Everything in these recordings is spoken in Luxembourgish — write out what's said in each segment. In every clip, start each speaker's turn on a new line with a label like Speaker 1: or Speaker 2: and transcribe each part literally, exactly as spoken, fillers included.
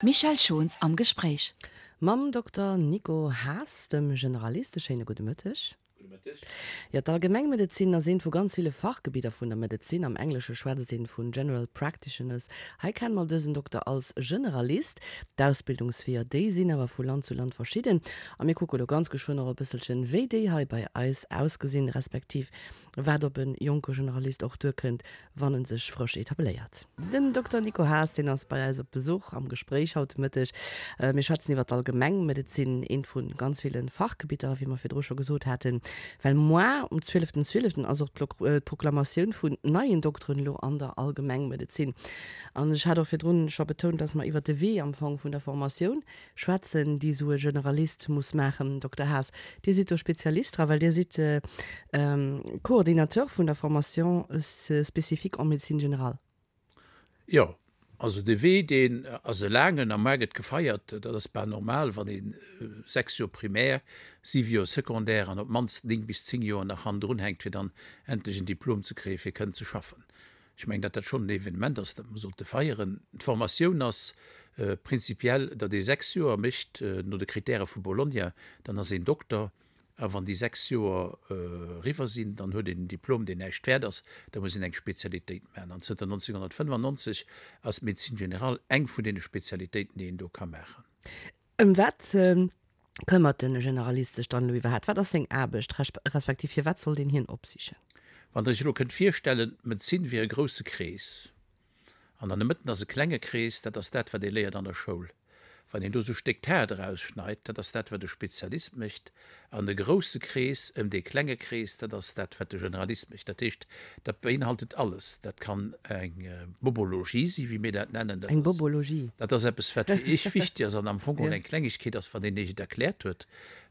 Speaker 1: Michèle Schons am Gespréich.
Speaker 2: Mam Dokter Nico Haas, dem Generalist, e schéine gudde Mëtteg.
Speaker 3: Gudde Mëtteg.
Speaker 2: Jo, d'Allgemengmedezin ass eent vu ganz ville Fachgebidder vun der Medezin. Am Englesche schwätzt een vun General Practitioners. Hei kenne mer dësen Dokter als Generalist. D'Ausbildungsweeër, déi sinn awer vu Land zu Land verschidden. A mir kucke lo ganz geschwënn och e bësselchen, wéi déi hei bei eis ausgesinn, respektiv wat op e jonke Generalist och duerkënnt, wann en sech frësch etabléiert. Den Dokter Nico Haas, deen ass bei eis op Besuch am Gespréich haut de Mëtteg. Mir schwätzen iwwer d'Allgemengmedezin, eent vu ganz ville Fachgebitter, wéi mer virdru scho gesot haten. Well moar um zwieleften zwieleften ass och d'Proklamatioun vun neien Dokteren elo an der Allgemengmedezin. An ech hat och virdrun scho betount, dass mer iwwer de Wee am Fong vun der Formatioun schwätzen, déi esou e Generalist muss maachen. Dokter Haas, Dir sidd do Spezialist dra, well Dir sidd Coordinateur vun der Formation spécifique en médecine générale.
Speaker 3: Jo, also de Wee, deen ass e laangen a mar gëtt gefeiert. Dat ass bal normal, wann ee sechs Joer Primaire, siwe Joer Secondaire an op d'mannst néng bis zéng Joer nach hannendrun hänkt, fir dann endlech en Diplom ze kréien, fir kënnen ze schaffen. Ech mengen, datt dat schonn en Evenement ass, dat mer sollte feieren. D'Formatioun ass prinzipiell, datt ee sechs Joer mécht no de Kritäre vu Bologna, dann ass een Dokter. A wann déi sechs Joer eriwwer sinn, dann huet een en Diplom, deen näischt wäert ass. Da muss een eng Spezialitéit maachen. An zënter nonzénghonnertfënnefannonzeg ass d'Médecine générale eng vun deene Spezialitéiten, déi een do ka maachen.
Speaker 2: Ëm wat këmmert de Generalist sech dann elo iwwerhaapt? Wat ass seng Aarbecht, respektiv firwat sollt een hien opsichen?
Speaker 3: Wann Der Iech elo kënnt virstellen, d'Medezin wier e grousse Krees an an der Mëtten ass e klenge Krees, dat ass dat, wat ee léiert an der Schoul. Wann een do esou Stéck Taart erausschneit, dat ass dat, wat e Spezialist mécht, an de grousse Krees ëm dee klenge Krees, dat ass dat, wat de Generalist mécht. Dat heescht, dat beinhaltet alles. Dat kann eng Bobologie si, wéi mir dat nennen.
Speaker 2: Eng Bobologie.
Speaker 3: Dat ass eppes, wat fir Iech wichteg ass an am Fong geholl eng Klengegkeet ass, wann een Iech et erkläert huet.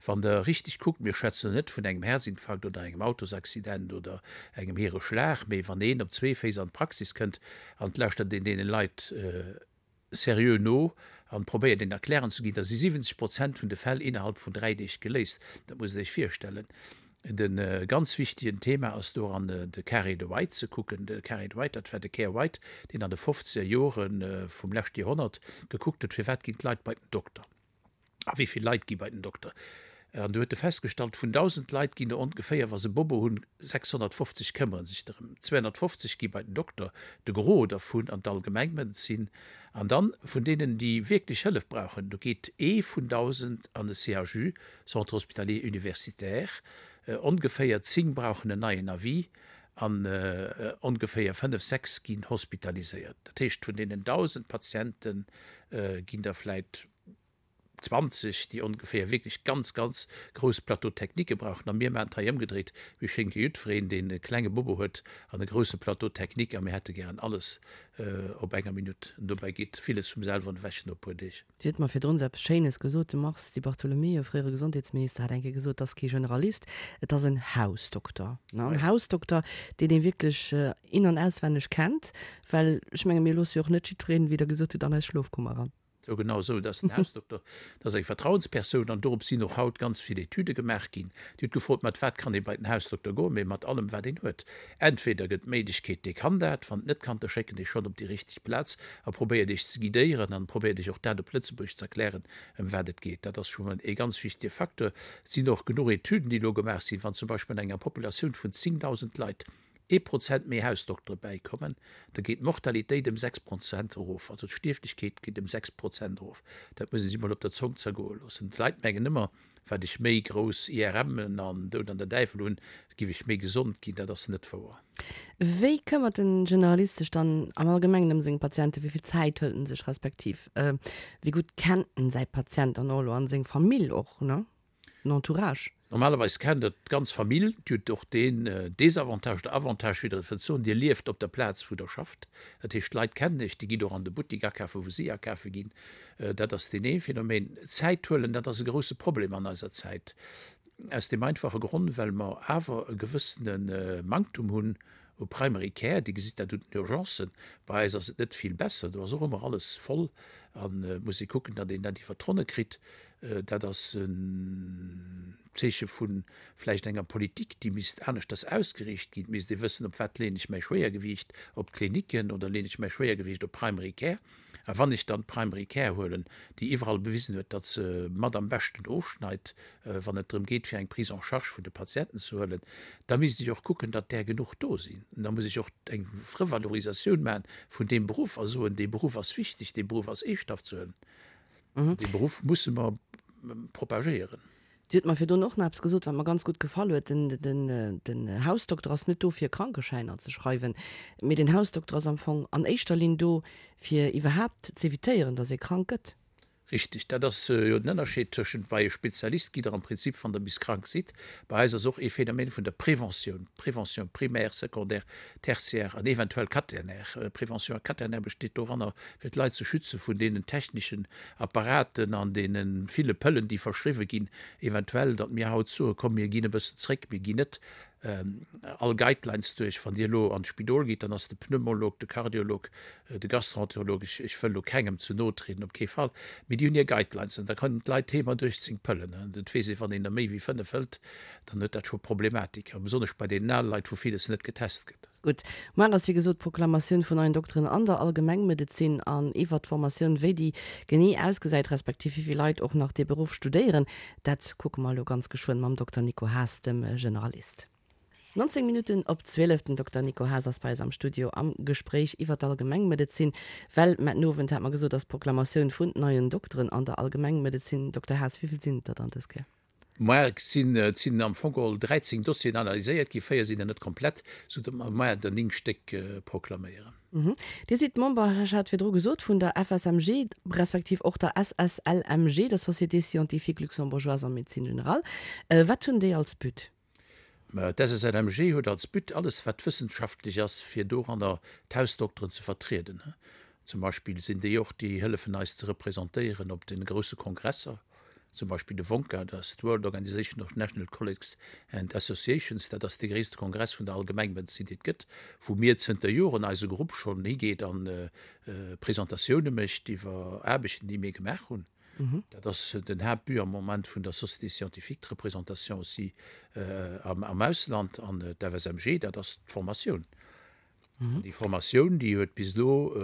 Speaker 3: Wann Der richteg kuckt, mir schwätzen elo net vun engem Häerzinfarkt oder engem Autosaccident oder engem hire Schlag, mee wann een op zwee Féiss an d'Praxis kënnt an et lauschtert een deene Leit seriö no an probéiert een erklären ze ginn, da si siwwenzeg Prozent vun de Fäll innerhalb vun dräi Deeg geléist. Dat musst Der Iech virstellen. De ganz wichtegen Thema ass doran de Carré de White ze kucken. De Carré de White, dat war de Ker White, deen an de fofzeger Jore vum leschte Joerhonnert gekuckt huet, firwat ginn d'Leit bei den Dokter a wéi vill Leit gi bei den Dokter. An do huet e festgestallt, vun dausend Leit ginn der ongeféier, wa se Bobo hunn, sechshonnertfofzeg këmmere sech drëm. Zweehonnertfofzeg gi bei den Dokter, de Gros dervun an d'Allgemengmedezin. An dann vun deenen, déi wierklech Hëllef brauchen, do geet ee vun dausend an de C H U, Centre Hospitalier Universitaire, ongeféier zéng brauchen en neien Avis an ongeféier fënnef, sechs ginn hospitaliséiert. Dat heescht, vun deenen dausend Patiente ginn der vläit zwanzeg, déi ongeféier wierklech ganz, ganz grouss Plateaux techniquë brauchen. A mir maachen et hei ëmgedréit, mir schénke jiddwereen, deen e klenge Bobo huet, an e grousse Plateau technique a mir hätte gären alles op enger Minutt. An dobäi geet villes vum selwen ewech no e puer Deeg.
Speaker 2: Dir hutt mer virdrun esou eppes Schéines gesot, de Mars Di Bartolomeo, fréiere Gesondheetsminister, hat eng Kéier gesot, et ass kee Generalist, et ass en Hausdokter. En Hausdokter, deen ee wierklech in an auswenneg kennt, well ech menge mir loosse jo och net jiddwereen, wéi Der gesot hutt, an eis Schlofkummer eran.
Speaker 3: Jo, genau esou. Dat ass den Hausdokter, dat ass eng Vertrauenspersoun an dorop sinn och haut ganz vill Etüde gemaach ginn. Dir hutt gefrot, mat wat kann ee bei den Hausdokter goen? Mee mat allem, wat een huet. Entweder gëtt d'Méiglechkeet, dee kann dat, wann et net kann, da schécken Iech schonn op déi richteg Plaz a probéiert Iech ze guidéieren an probéiert Iech och dat op Lëtzebuergesch ze erklären, ëm wat et geet. Dat ass scho mol ee ganz wichtege Facteur. Et sinn och genuch Etüden, déi elo gemaach sinn, wann zum Beispill an enger Populatioun vun zéngdausend Leit ee Prozent méi Hausdoktere bäikommen, da geet d'Mortalitéit ëm sechs Prozent erof, also d'Stierflechkeet geet ëm sechs Prozent erof. Dat muss ee sech mol op der Zong zergoe loossen. D'Leit mengen ëmmer, wat ech méi grouss I R M'en an Doud an der Däiwel hunn, giff ech méi gesond ginn. Dat ass net wouer.
Speaker 2: Wéi këmmert den Generalist sech dann am Allgemengen ëm seng Patienten? Wéi vill Zäit hëlt en sech, respektiv wéi gutt kennt en säi Patient dann och elo an seng Famill och, ne? Den Entourage.
Speaker 3: Normalerweis kennt der d'ganz Famill. Dir hutt och deen Désavantage oder Avantage, wéi Der et wëllt soen, Dir lieft op der Plaz, wou Der schafft. Dat heescht, d'Leit kennen Iech, Dir gitt och an de Buttik akafen, wou si akafe ginn. Dat ass deen ee Phänomen. Zäit huelen, dat ass e grousse Problem an eiser Zäit. Aus deem einfache Grond, well mer awer e gewëssene Manktum hunn u Primary Care. Dir gesitt dat un den Urgencen. Bei eis ass et net vill besser, do ass och ëmmer alles voll. An et muss ee kucken, datt een dat iwwer d'Ronne kritt. Dat ass en Zeeche vu vläicht enger Politik, déi misst aneschters ausgeriicht ginn. Et misst ee wëssen, op wat leeën ech mäi Schwéiergewiicht, op d'Kliniken oder leeën ech mäi Schwéiergewiicht op Primary Care. A wann ech dann d'Primary Care huelen, déi iwwerall bewisen huet, datt se mat am beschten ofschneit, wann et drëm geet, fir eng Prise en charge vun de Patienten ze huelen, da misst ech och kucken, datt där genuch do sinn. An da muss ech och eng Revalorisatioun maachen vun deem Beruff a soen, dee Beruff ass wichteg, dee Beruff ass eeschthaft ze huelen. Dee Beruff musse mer propagéieren.
Speaker 2: Dir hutt mer virdrun och nach eppes gesot, wat mer ganz gutt gefall huet, Den Hausdokter ass net do, fir Krankeschäiner ze schreiwen, mee den Hausdokter ass am Fong an éischter Linn do, fir iwwerhaapt z'evitéieren, datt ee krank gëtt.
Speaker 3: Richtig, dat ass jo den Ënnerscheed tëschent, bei e Spezialist gitt Der am Prinzip, wann Der bis krank sidd. Bei eis ass och ee Phänomen vun der Preventioun, Prévention primaire, secondaire, tertiaire an eventuell quaternaire. Prévention quaternaire besteet doranner, fir d'Leit ze schütze vun deenen techneschen Apparaten an deene ville Pëllen, déi verschriwwe ginn, eventuell, datt mir haut soe komm, mir ginn e bëssen zréck, mir ginn net all Guidelines duerch. Wann Dir elo an d'Spidol gitt, dann ass de Pneumolog, de Kardiolog, de Gastroenterolog, ech wëll elo kengem ze no trieden, op kee Fall, mee déi hunn hir Guidelines an da kënnen d'Leit heem mat uechtzéng Pëllen. Et weess ee, wann een der méi wéi fënnef hëlt, dann huet dat scho Problematik, a besonnesch bei deenen ale Leit, wou villes net getest gëtt.
Speaker 2: Gutt, muar ass wéi gesot d'Proklamatioun vun neien Dokteren an der Allgemengmedezin an iwwert d'Formatioun, wéi déi genee ausgesäit, respektiv wéi vill Leit och nach dee Beruff studéieren, dat kucke mer elo ganz geschwënn mam Dokter Nico Haas, dem Generalist. Nonzéng Minutten op zwielef, den Dokter Nico Haas ass bei eis am Studio am Gespréich iwwert d'Allgemengmedezin, well muar den Owend, hat mer gesot, ass d'Proklamatioun vun neien Dokteren an der Allgemengmedezin. Dokter Haas, wéi vill sinn et der dann dës Kéier?
Speaker 3: Moar sinn, et sinn am Fong geholl dräizéng Dossieren analyséiert ginn, véier sinn der net komplett, sou datt mer moar der néng Stéck proklaméieren.
Speaker 2: Dir sidd Member, ech hat virdru gesot, vun der F S M G respektiv och der S S L M G, der Société scientifique luxembourgeoise en médecine générale. Wat hunn déi als But?
Speaker 3: D'S S L M G huet als But, alles wat wëssenschaftlech ass, fir doranner d'Hausdokteren ze vertrieden. Zum Beispill sinn déi och, déi hëllefen eis ze representéieren op de grousse Kongresser, zum Beispill de WONCA, dat ass d'World Organization of National Colleges and Associations, dat ass dee gréisste Kongress vun der Allgemengmedezin, dee et gëtt, wou mir zënter Joren, eise Grupp schonn higeet an Presentatioune mécht iwwer Aarbechten, déi mir gemaach hunn. Dat ass den Haaptbut am Moment vun der Société scientifique, d'Représentation aussi am Ausland. An d'F S M G, dat ass d'Formatioun. An déi Formatioun, déi huet bis elo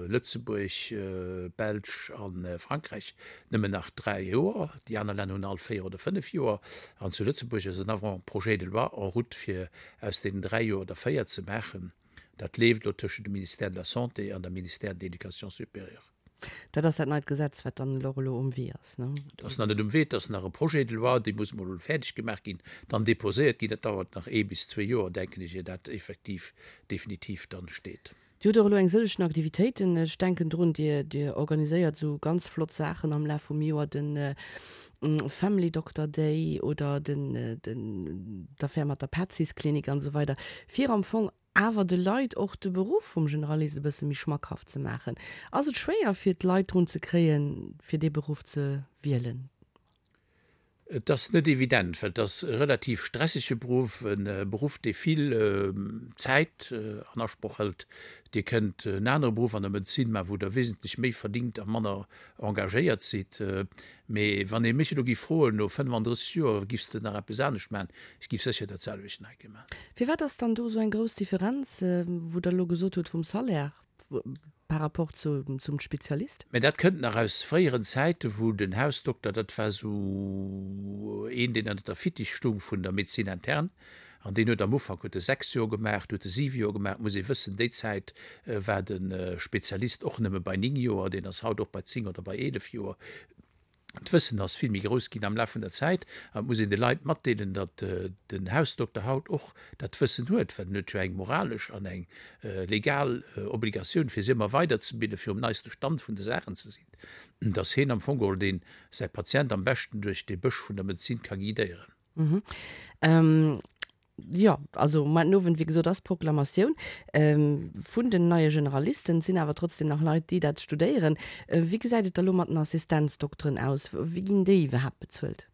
Speaker 3: Lëtzebuerg, Belsch a Frankräich nëmmen nach dräi Joer. Déi aner Länner hunn all véier oder fënnef Joer. An zu Lëtzebuerg ass en Avant-projet de loi en route, fir aus deenen dräi Joer der véier ze maachen. Dat leeft elo tëschent dem Ministère de la Santé an dem Ministère de l'Éducation supérieure.
Speaker 2: Dat ass dat neit Gesetz, wat dann elo elo um Wee ass, ne?
Speaker 3: Dat ass nach net um Wee, dat ass nach e Projet de loi, dee muss emol fäerdeg gemaach ginn, dann déposéiert ginn. Dat dauert nach ee bis zwee Joer, denken ech, ier dat effektiv definitiv dann steet.
Speaker 2: Dir hutt och elo eng sëllegen Aktivitéiten. Ech denken drun, Dir, Dir organiséiert esou ganz flott Saachen am Laf vum Joer, de Family Doctor Day oder den, den, d'Affär mat der Petzisklinik an esou weider, fir am Fong awer de Leit och de Beruff vum Generalist e bësse méi schmackhaft ze maachen. Ass et schwéier fir d'Leit drun ze kréien, fir dee Beruff ze wielen?
Speaker 3: Et ass net evident, well et ass e relativ stressege Beruff, e Beruff, dee vill Zäit an Asproch hëlt. Dir kënnt en anere Beruff an der Medezin maachen, wou Der wesentlech méi verdingt a manner engagéiert sidd. Mee wann ee mech elo géif froen, no fënnefandrësseg Joer, Giffs de nach eppes anescht maachen? Ech giff sécher dat selwecht nach eng Kéier maachen.
Speaker 2: Firwat ass dann do esou eng grouss Differenz, wou Der elo gesot hutt, vum Salaire par rapport zu, zum Spezialist?
Speaker 3: Mä dat kënnt nach aus fréieren Zäiten, wou den Hausdokter, dat war esou een, deen ënnert der Fittich stung vun der Médecine interne, an deen huet am Ufank huet e sechs Joer gemaach, du huet e siwe Joer gemaach. Et muss ee wëssen, déi Zäit war de Spezialist och nëmme bei néng Joer, deen ass haut och bei zéng oder bei eelef Joer. D'Wëssen ass vill méi grouss ginn am Laf vun der Zäit an et muss een de Leit matdeelen, datt den Hausdokter haut och dat Wëssen huet, well en huet jo eng moralesch an eng legal Obligatioun, fir sech ëmmer weiderzebilden, fir um neiste Stand vun de Saachen ze sinn, datt heen am Fong geholl deen säi Patient am beschten duerch dee Bësch vun der Medezin ka guidéieren.
Speaker 2: Jo, also muar den Owend, wéi gesot, ass d'Proklamatioun vun den neie Generalisten. Et sinn awer trotzdem nach Leit, déi dat studéieren. Wéi gesäit et da lo mat den Assistenzdokteren aus? Wéi ginn déi iwwerhaapt bezuelt?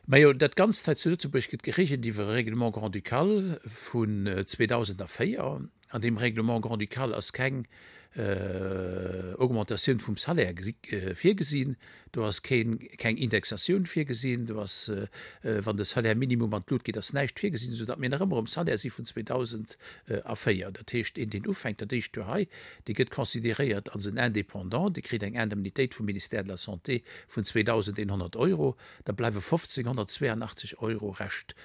Speaker 3: Majo, dat Ganzt hei zu Lëtzebuerg gëtt geregelt iwwer e Règlement grand-ducal vun zweedausendvéier. An deem Règlement grand-ducal ass keng Augmentatioun vum Salaire virgesinn, do ass keng Indexatioun virgesinn, do ass, wann de Salaire minimum an d'Lut geet, ass näischt virgesinn, soudatt mir nach ëmmer um Salaire si vun zweedausendvéier. Dat heescht, een, deen ufänkt dat éischt Joer hei, dee gëtt consideréiert als en Indépendant, dee kritt eng Indemnitéit vum Ministère de la Santé vun zweedausendeenhonnert Euro, da bleiwe fofzénghonnertzweeanachtzeg Euro Rescht.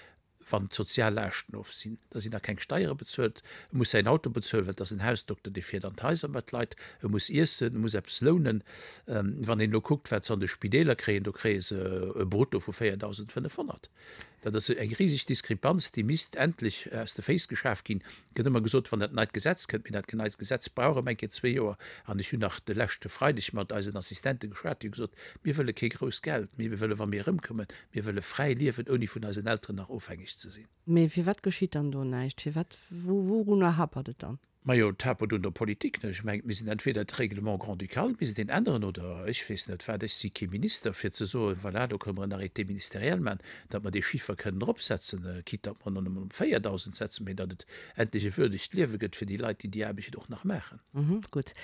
Speaker 3: Wann d'sozial Laaschten of sinn, da sinn nach keng Steiere bezuelt, e muss säin Auto bezuelen, well et ass en Hausdokter, dee fiert an d'Haiser mat Leit, e muss iessen, e muss eppes lounen. Wann een elo kuckt, wat se an de Spideeler kréien, do kréie se e Brutto vu véierdausendfënnefhonnert. Dat ass eng riseg Diskrepanz, déi misst endlech aus de Féiss geschaf ginn. Et gëtt ëmmer gesot, wann dat neit Gesetz kënnt, mee dat neit Gesetz brauch erëm eng Kéier zwee Joer. An ech hunn nach de leschte Freideg mat eisen Assistente geschwat, déi hu gesot, Mir wëlle kee grousst Geld, mee mir wëlle wa mir erëmkommen, mir wëlle fräi liewen, ouni vun eisen Elteren nach ofhängeg ze sinn.
Speaker 2: Mee firwat geschitt dann do näischt? Firwat, wourunner hapert et dann?
Speaker 3: Majo, et hapert un der Politik, ne? Ech mengen, et misst een entweder d'Règlement grand-ducal misst een änneren oder ech weess net wat. Ech si kee Minister, fir ze soen, voilà, do kënne mer en Arrêté ministériel maachen, datt mer dee Chiffer kënnen eropsetzen, quitte datt mer en nëmmen op véierdausend setzen, mee datt et endlech e würdegt Liewe gëtt fir déi Leit, déi déi Aarbecht och nach maachen.
Speaker 2: Gutt.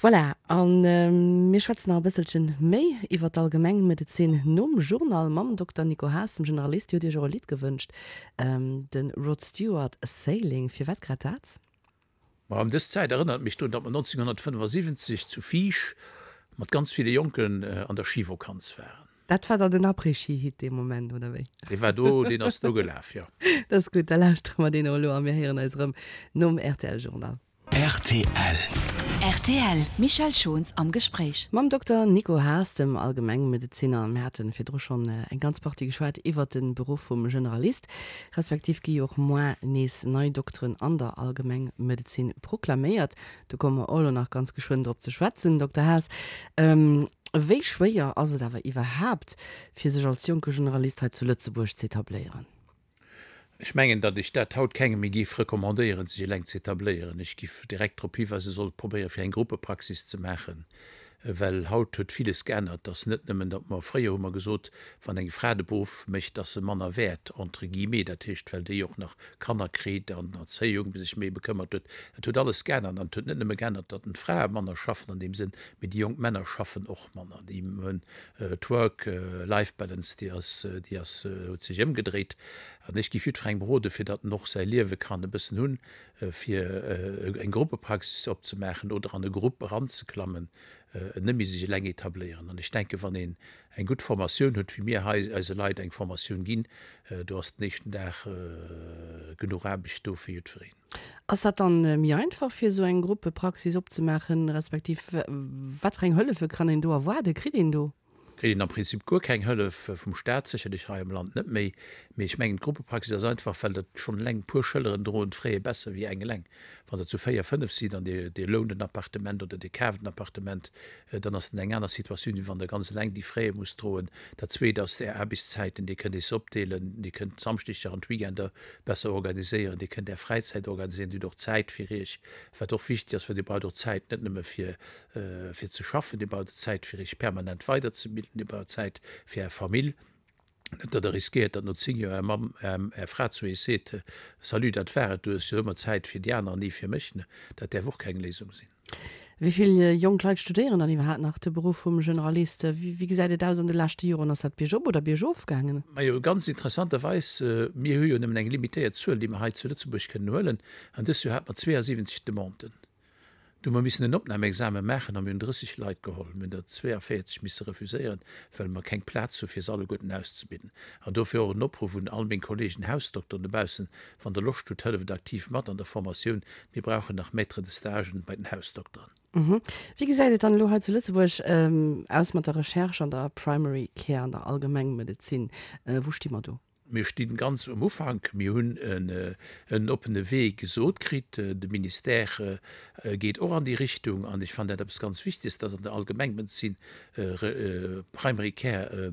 Speaker 2: Voilà, a mir schwätzen nach e bësselchen méi iwwer d'Allgemengmedezin nom Journal mam Dokter Nico Haas, dem Generalist. Dir hutt Iech och e Lidd gewënscht, de Rod Stewart, Sailing. Firwat grad dat?
Speaker 3: Ma ëm dës Zäit erënnert mech drun, datt mer nonzénghonnertfënnefasiwwenzeg zu Fiesch mat ganz ville Jonken an der Schivokanz waren.
Speaker 2: Dat war dann den Après-Ski-Hit dee Moment, oder wéi?
Speaker 3: Dee war do, deen ass do gelaf, jo.
Speaker 2: Dat ass gutt, da lauschtere mer deen och elo a mir héieren eis erëm nom R T L-Journal.
Speaker 1: R T L. R T L, Michèle Schons am Gespréich.
Speaker 2: Mam Dokter Nico Haas, dem Allgemengmedezinner. Mir hate virdru schonn eng ganz Partie geschwat iwwert de Beruff vum Generalist, respektiv gi jo och moar nees nei Dokteren an der Allgemengmedezin proklaméiert. Do komme mer och elo nach ganz geschwënn drop ze schwätzen, Dokter Haas. Wéi schwéier ass et awer iwwerhaapt, fir sech als jonke Generalist hei zu Lëtzebuerg z'etabléieren?
Speaker 3: Ech mengen, datt ech dat haut kengem méi géif recommandéieren, sech eleng ze etabléieren. Ech géif direkt drop hiweisen, e soll probéieren, fir eng Gruppepraxis ze maachen, well haut huet villes geännert. Et ass net nëmmen, datt mer, fréier hu mer gesot, wann eng Fra de Beruff mécht, ass se manner wäert, entre guillemets, dat heescht, well déi och nach Kanner kritt an Erzéiung sech méi bekëmmert huet. Dat huet alles geännert. An et huet net nëmme geännert, datt d'Frae manner schaffen an deem Sënn, mee déi jonk Männer schaffen och manner. Déi hunn d'Work-Life-Balance, déi ass, déi ass, huet sech ëmgedréit. An ech géif jiddwerengem rode fir datt en och säi Liewe kann e bëssen hunn, fir eng Gruppepraxis opzemaachen oder an e Grupp eranzeklammen, net méi sech eleng etabléieren. An ech denken, wann een eng gutt Formatioun huet, wéi mir hei eise Leit eng Formatioun ginn, do ass den éischten Dag genuch Aarbecht do fir jiddwereen.
Speaker 2: Ass dat dann méi einfach fir esou eng Gruppepraxis opzemaachen, respektiv wat fir eng Hëllefe kann een do erwaarden, kritt een do?
Speaker 3: Kritt een am Prinzip guer keng Hëllef vum Staat, sécherlech hei am Land net méi. Mee ech mengen, d'Gruppepraxis ass einfach, well dat schonn eleng puer Schëlleren droen d'Fraie besser wéi eng eleng. Wann der zu véier, fënnef sidd an Dir, Dir lount en Appartement oder Dir kaaft en Appartement, dann ass et eng aner Situatioun, wéi wann Der ganz eleng déi Fraie musst droen. Dat Zweet ass Är Aarbechtszäiten, Dir kënnt Iech se opdeelen, Dir kënnt d'Samschdeger an d'Weekender besser organiséieren, Dir kënnt Är Fräizäit organiséieren, Dir hutt och Zäit fir Iech, wat och wichteg ass, well Dir braucht och Zäit net nëmme fir, fir ze schaffen, Dir braucht Zäit fir Iech permanent weiderzebilden, Dir braucht Zäit fir Är Famill. Net datt Der riskéiert, datt no zéng Joer Är Mamm, Är Fra zu Iech seet, Salut, dat war et, du hues jo ëmmer Zäit fir déi aner an ni fir mech. Dat däerf och keng Léisung sinn.
Speaker 2: Wéi vill jonk Leit studéieren dann iwwerhaapt nach de Beruff vum Generalist? Wéi gesäit et aus an de leschte Joren? Ass dat biergop oder biergof gaangen?
Speaker 3: Majo, ganz interessanterweis, mir hu jo nëmmen eng limitéiert Zuel, déi mer hei zu Lëtzebuerg kënnen huelen, an dëst Joer hate mer zweeasiwwenzeg Demanden. Du hu mer missen en Opnamexame maachen a mir hunn drësseg Leit geholl. Mir hunn der zweeavéierzeg misse refuséieren, well mer keng Plaz hu fir se alleguerten auszebilden. An dofir och en Opruff un all meng Kollegen Hausdokteren dobaussen, Wann Der Loscht hutt, hëlleft aktiv mat an der Formatioun. Mir brauchen nach Maîtres de stagen bei den Hausdokteren.
Speaker 2: Wéi gesäit et dann elo hei zu Lëtzebuerg aus mat der Recherche an der Primary Care, an der Allgemengmedezin? Wou sti mer do?
Speaker 3: Mir stinn ganz um Ufank. Mir hunn en oppene Wee gesot kritt. De Ministère geet och an déi Richtung. An ech fannen dat eppes ganz Wichteges, dass an der Allgemengmedezin Primary Care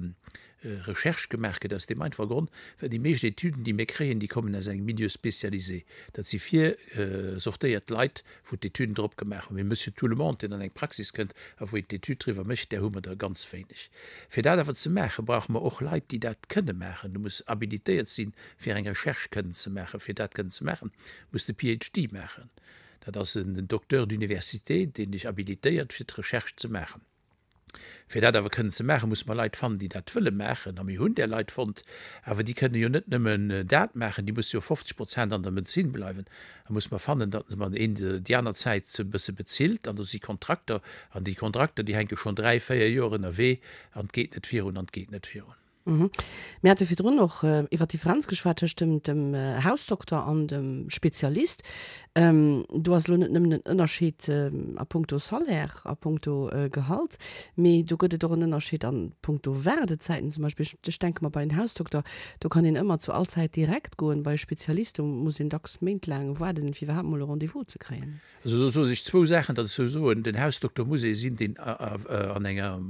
Speaker 3: Recherche gemaach gëtt, aus deem einfache Grond, well déi meescht Etüden, déi mir kréien, déi kommen aus engem Milieu spécialisé. Dat si virsortéiert Leit, wou d'Etüden drop gemaach hunn. Mee Monsieur Tout-le-monde, deen an eng Praxis kënnt a wou een d'Etüd driwwer mécht, där hu mer der ganz wéineg. Fir dat awer ze maachen, brauche mer och Leit, déi dat kënne maachen. Du muss habilitéiert sinn, fir eng Recherche kënnen ze maachen. Fir dat kënnen ze maachen, muss de P H D maachen. Dat ass en Docteur d'université, deen sech habilitéiert, fir d'Recherche ze maachen. Fir dat awer kënnen ze maachen, musse mer Leit fannen, déi dat wëlle maachen. A mir hunn där Leit fonnt, awer déi kënnen jo net nëmmen dat maachen, déi musse jo fofzeg Prozent an der Medezin bleiwen. Da musse mer fannen, datt mer een déi aner Zäit e bësse bezilt. An do si Kontrakter, an déi Kontrakter, déi hänke schonn dräi, véier Joer ënnerwee an et geet net virun an et geet net virun.
Speaker 2: Mir hate virdrun och iwwer d'Differenz geschwat tëscht dem, dem Hausdokter an dem Spezialist. Do ass elo net nëmmen en Ënnerscheed a puncto Salaire, a puncto Gehalt, mee do gëtt et och en Ënnerscheed a puncto Waardezäiten zum Beispill. Ech denke mer, bei en Hausdokter, do kann een ëmmer zu all Zäit direkt goen, bei e Spezialist, do muss een dacks méintlaang waarden, fir iwwerhaapt mol e Rendez-vous ze kréien.
Speaker 3: Also do soen ech zwou Saachen, datt ech sou soen, den Hausdokter muss ee sinn, deen an enger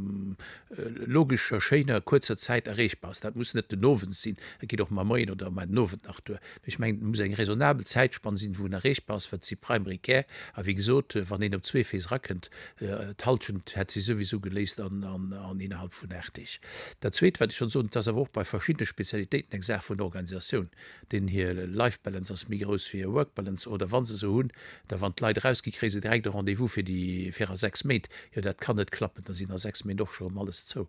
Speaker 3: logescher, schéiner, kuerzer Zäit erreechbar ass. Dat muss net den Owend sinn, dat geet och mar Moien oder mar den Owend nach duer. Mee ech mengen, et muss eng raisonnabel Zäitspann sinn, wou en erreechbar ass, well et si Primary Care. A wéi gesot, wann een op zwee Féiss erakënnt, d'Halschent hätt si souwisou geléist an innerhalb vun aacht Deeg. Dat Zweet, wat ech wëll soen, et ass awer och bei verschiddene Spezialitéiten eng Saach vun Organisatioun. Deenen hir Life Balance ass méi grouss wéi hir Work Balance, oder wa se se hunn, da wann d'Leit erausgi kréie se direkt e Rendez-vous fir déi fir a sechs Méint. Jo dat kann net klappen, da sinn a sechs Méint och scho erëm alles zou.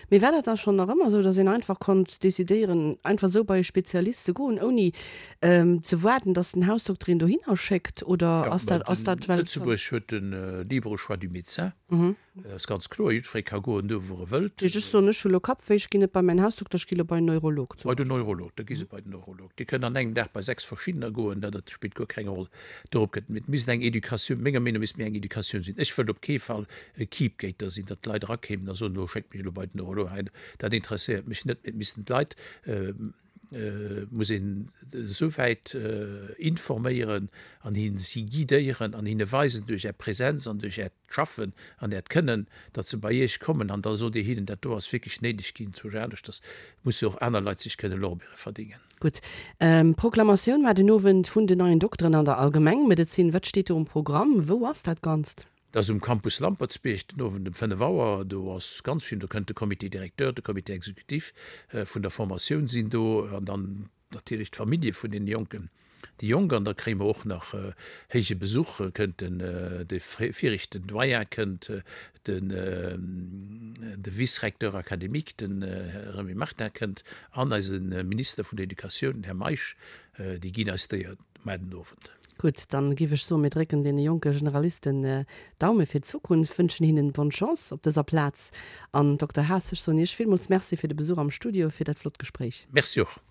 Speaker 2: Mee war dat da schonn nach ëmmer esou, datt een einfach konnt decidéieren, einfach esou bei e Spezialist ze goen, ouni ze waarden, datt den Hausdokter een dohinner schéckt, oder ass dat, ass dat well.
Speaker 3: Lëtzebuerg huet de libre choix du médecin. Dat ass ganz kloer, jiddweree ka goen do wou e wëllt.
Speaker 2: Ech soen, ech hu lo Kappwéi, ech ginn net bei mäin Hausdokter, ech gi lo bei en Neurolog
Speaker 3: zum Bei den Neurolog, da gi se bei den Neurolog. Dir kënnt an engem Dag bei sechs verschiddener goen, dat dat spillt guer keng Roll. Dorop gëtt, et misst eng Educatioun, menger Meenung no misst méi eng Educatioun sinn. Ech wëllt op kee Fall e Keepgater sinn, datt d'Leit erakéimen a soen, elo schéckt mech elo bei den Neurolog. Dat interesséiert mech net, mee et missten d'Leit, muss een esou wäit informéieren an hin si guidéieren an hinne weisen duerch Är Präsenz an duerch Äert Schaffen an Äert Kënnen, datt se bei Iech kommen an da sot Dir hinnen, dat do ass wierklech néideg ginn, zwou aneschters musse och aner Leit sech kënne Lorbeere verdéngen.
Speaker 2: Gutt. D'Proklamatioun war den Owend vun den neien Dokteren an der Allgemengmedezin. Wat steet do um Programm? Wou ass dat Ganzt?
Speaker 3: Dat ass um Campus Lampertsbierg den Owend um fënnef Auer. Do ass ganz vill, do kënnt de Comité directeur, de Comité exécutif vun der Formatioun sinn do an dann natierlech d'Famillje vun deene Jonken, déi Jonk. An da kréie mer och nach héije Besuch, kënnt den de viregten Doyen kënnt, den de Vice-recteur académique, den Här Remy Martin kënnt an eise Minister vun der Educatioun, den Här Meisch, déi ginn eis d'Éier mar den Owend.
Speaker 2: Gutt, dann giff ech soen, mir drécken deene jonke Generalisten d'Daume fir d'Zukunft, wënschen hinnen bonne Chance op dëser Plaz. An Dokter Haas, ech soen Iech villmools Merci fir de Besuch am Studio, fir dat flott Gespréich.
Speaker 3: Merci och.